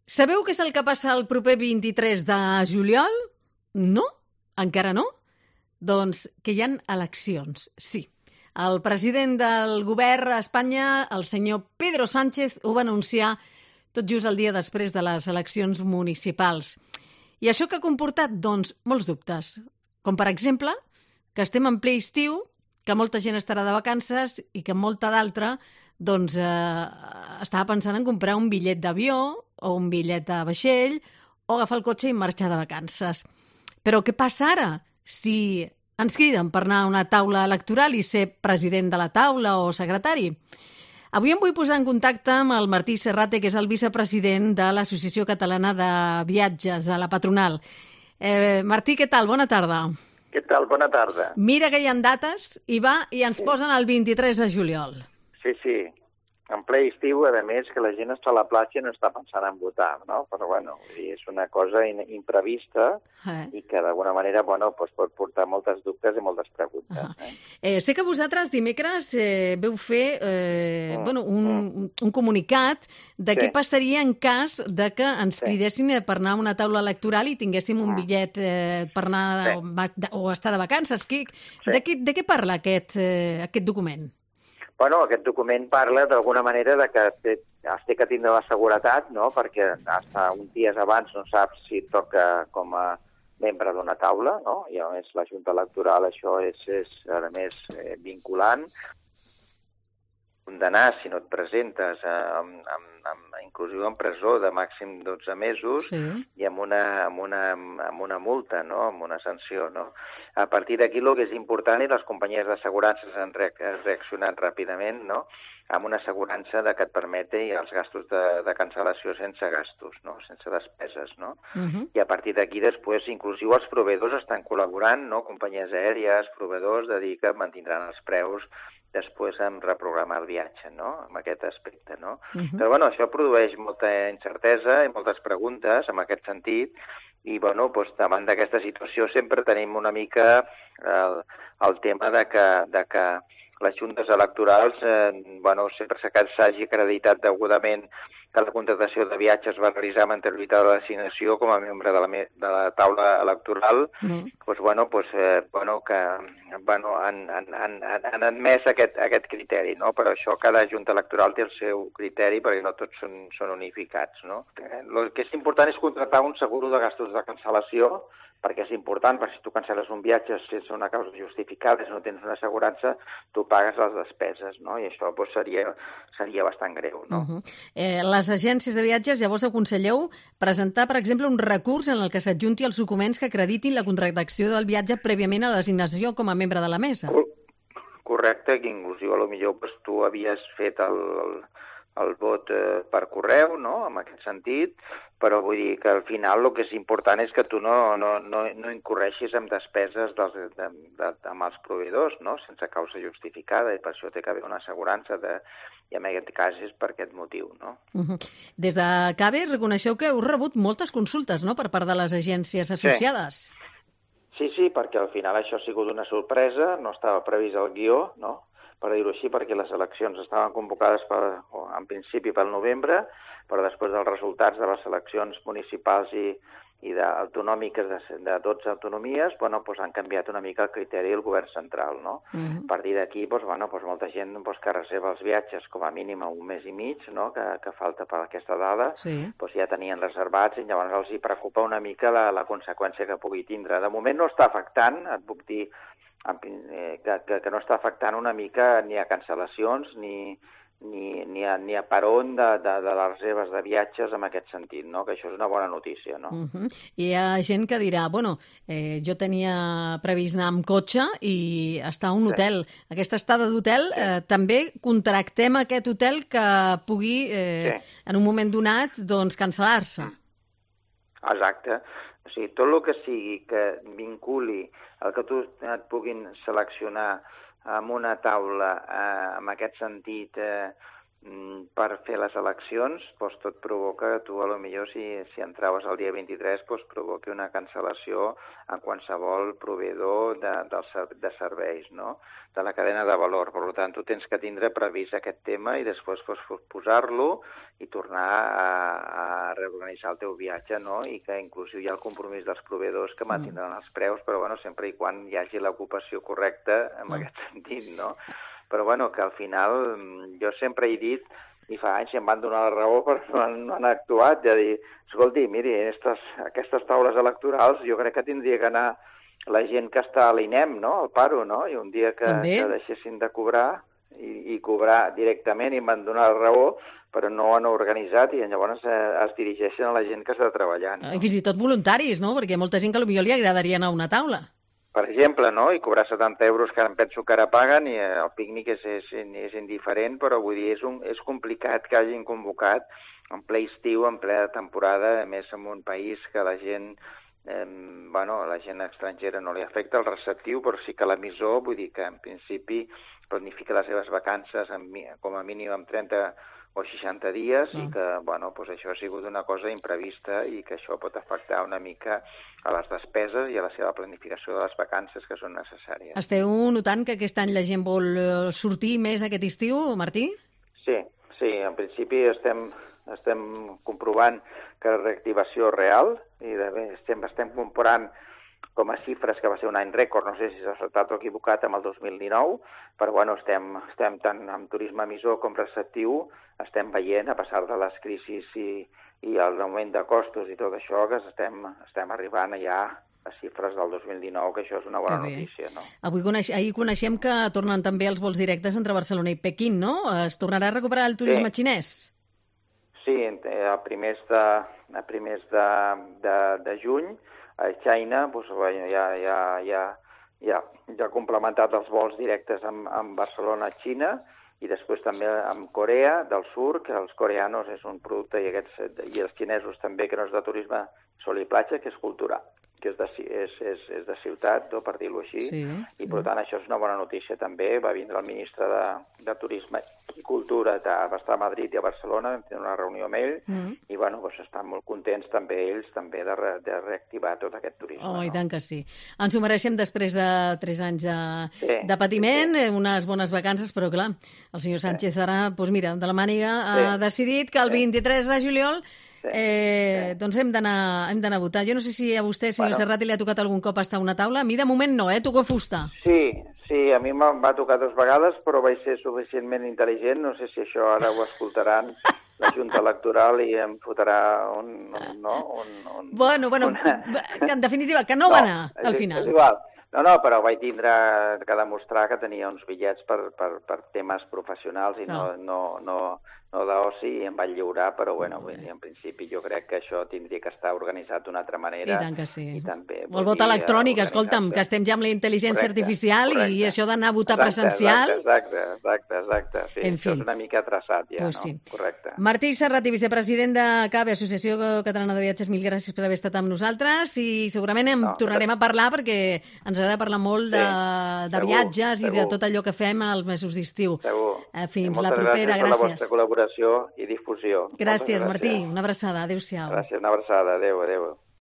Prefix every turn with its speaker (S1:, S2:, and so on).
S1: Sabeu què és el que passa el proper 23 de juliol? No? Encara no? Doncs que hi ha eleccions, sí. El president del govern a Espanya, el senyor Pedro Sánchez, ho va anunciar tot just el dia després de les eleccions municipals. I això que ha comportat? Doncs molts dubtes. Com per exemple, que estem en ple estiu, que molta gent estarà de vacances i que molta d'altra doncs, estava pensant en comprar un bitllet d'avió o un bitllet de vaixell o agafar el cotxe i marxar de vacances. Però què passa ara si ens criden per anar a una taula electoral i ser president de la taula o secretari? Avui em vull posar en contacte amb el Martí Serrate, que és el vicepresident de l'Associació Catalana de Viatges, a la patronal. Martí, què tal? Bona tarda.
S2: Què tal? Bona tarda.
S1: Mira que hi ha dates i ens posen el 23 de juliol.
S2: Sí. En ple estiu, a més, que la gent està a la platja i no està pensant en votar, no? Però, bueno, és una cosa imprevista i que, d'alguna manera, doncs pot portar moltes dubtes i moltes preguntes.
S1: Sé que vosaltres dimecres veu fer un comunicat de què passaria en cas de que ens cridessin per anar a una taula electoral i tinguéssim un bitllet per anar o estar de vacances. De què parla aquest document?
S2: Bueno, aquest document parla d'alguna manera de que has de tindre la seguretat, no? Perquè fins uns dies abans no saps si et toca com a membre d'una taula, no? I a més la Junta Electoral això és a més vinculant. Condenar si no et presentes inclusive en presó de màxim 12 mesos i amb una multa, no? Amb una sanció, no? A partir d'aquí el que és important i les companyies d'assegurances han reaccionat ràpidament, no? Amb una assegurança que et permeti els gastos de cancel·lació sense gastos, no? Sense despeses, no? I a partir d'aquí després inclusive els proveïdors estan col·laborant, no? Companyies aèries, proveïdors, de dir que mantindran els preus després en reprogramar el viatge, no?, en aquest aspecte, no? Però, bueno, això produeix molta incertesa i moltes preguntes en aquest sentit i, bueno, doncs, davant d'aquesta situació sempre tenim una mica el tema de que les juntes electorals, sempre s'hagi acreditat degudament que la contractació de viatges va realitzar amb anterioritat a la designació com a membre de la taula electoral, han admès aquest criteri, no? Però això cada junta electoral té el seu criteri perquè no tots són unificats, no? El que és important és contractar un seguro de gastos de cancel·lació, perquè és important, perquè si tu cancel·les un viatge sense una causa justificada, si no tens una assegurança, tu pagues les despeses, no? I això seria bastant greu, no?
S1: Les agències de viatges llavors aconselleu presentar, per exemple, un recurs en el que s'adjunti els documents que acreditin la contractació del viatge prèviament a la designació com a membre de la mesa.
S2: Correcte, que inclusive potser tu havies fet el vot per correu, no?, en aquest sentit, però vull dir que al final el que és important és que tu no incorreixis en despeses amb els proveïdors, no?, sense causa justificada, i per això té que haver una assegurança i en aquest cas és per aquest motiu, no?
S1: Des de CABE reconeixeu que heu rebut moltes consultes, no?, per part de les agències associades.
S2: Sí, perquè al final això ha sigut una sorpresa, no estava previst el guió, no?, per dir-ho així, perquè les eleccions estaven convocades en principi pel novembre, però després dels resultats de les eleccions municipals i autonòmiques de 12 autonomies, han canviat una mica el criteri del govern central, no? A partir d'aquí, molta gent que reserva els viatges com a mínim a un mes i mig, no?, que falta per aquesta dada, ja tenien reservats i llavors els hi preocupa una mica la conseqüència que pugui tindre. De moment no està afectant, et puc dir que no està afectant una mica ni a cancel·lacions ni a peron de les reserves de viatges en aquest sentit, no? Que això és una bona notícia, no?
S1: Hi ha gent que dirà, jo tenia previst anar amb cotxe i estar a un hotel. Aquesta estada d'hotel, també contractem aquest hotel que pugui, en un moment donat, doncs, cancel·lar-se.
S2: Exacte. O sigui, tot el que sigui que vinculi el que tu et puguin seleccionar amb una taula, en aquest sentit, per fer les eleccions, doncs tot provoca que tu, potser si entraves el dia 23, doncs provoqui una cancel·lació en qualsevol proveïdor de serveis, no?, de la cadena de valor. Per tant, tu tens que tindre previst aquest tema i després posar-lo i tornar a reorganitzar el teu viatge, no?, i que inclusive hi ha el compromís dels proveïdors que mantindran els preus, però sempre i quan hi hagi l'ocupació correcta en aquest sentit, no? Però que al final jo sempre he dit, i fa anys em van donar la raó perquè no han actuat, de dir, escolti, miri, aquestes taules electorals jo crec que tindria que anar la gent que està a l'INEM, no?, al paro, no?, i un dia que deixessin de cobrar i cobrar directament i em van donar la raó, però no ho han organitzat i llavors es dirigeixen a la gent que està treballant. No?
S1: I fins i tot voluntaris, no?, perquè hi ha molta gent que potser li agradaria anar a una taula.
S2: Per exemple, no?, i cobrar 70 euros que em penso que ara paguen i el pícnic és indiferent, però vull dir, és complicat que hagin convocat en ple estiu, en plena temporada, a més en un país que la gent, la gent estrangera no li afecta el receptiu, però sí que l'emissor, vull dir que en principi planifica les seves vacances com a mínim amb 30 o 60 dies i que, això ha sigut una cosa imprevista i que això pot afectar una mica a les despeses i a la seva planificació de les vacances que són necessàries.
S1: Esteu notant que aquest any la gent vol sortir més aquest estiu, Martí?
S2: Sí, en principi estem comprovant que la reactivació real i estem comparant com a xifres que va ser un any rècord, no sé si s'ha acertat o equivocat amb el 2019, però estem tant amb turisme emissor com receptiu, estem veient, a pesar de les crisis i l'augment de costos i tot això, que estem arribant ja a xifres del 2019, que això és una bona notícia, no?
S1: Ahir coneixem que tornen també els vols directes entre Barcelona i Pequín, no? Es tornarà a recuperar el turisme xinès?
S2: Sí, a primers de juny, a China ja ha complementat els vols directes amb Barcelona a Xina i després també amb Corea del Sur, que els coreanos és un producte i els xinesos també, que no és de turisme sol i platja, que és cultural, que és de ciutat, per dir-ho així, i per tant això és una bona notícia també. Va vindre el ministre de Turisme i Cultura, va estar a Madrid i a Barcelona, vam tenir una reunió amb ell, i estan molt contents també ells també de reactivar tot aquest turisme.
S1: I tant que sí. Ens ho mereixem després de 3 anys de patiment, unes bones vacances, però clar, el senyor Sánchez ara, doncs mira, de la màniga ha decidit que el 23 de juliol doncs hem d'anar a votar. Jo no sé si a vostè, senyor Serrati, li ha tocat algun cop estar a una taula. A mi de moment no, toco fusta.
S2: Sí, a mi em va tocar 2 vegades, però vaig ser suficientment intel·ligent. No sé si això ara ho escoltaran la Junta Electoral i em fotrà
S1: Bueno, en definitiva, que no va anar al final.
S2: És igual. No, però vaig tindre que demostrar que tenia uns bitllets per temes professionals i no d'oci, i em vaig lliurar, però en principi jo crec que això tindria que estar organitzat d'una altra manera.
S1: I tant que sí. El vot electrònic, escolta'm, que estem ja amb la intel·ligència artificial i això d'anar a votar presencial.
S2: Exacte. Sí, això és una mica traçat ja, no? Correcte.
S1: Martí Serrati, vicepresident de CAVE, Associació Catalana de Viatges, mil gràcies per haver estat amb nosaltres i segurament tornarem a parlar perquè ens agrada parlar molt de viatges i de tot allò que fem als mesos d'estiu. Fins la propera, gràcies.
S2: Gràcies per la vostra col·laboració i difusió.
S1: Gràcies, Martí. Una abraçada. Adéu-siau.
S2: Gràcies, una abraçada. Adéu.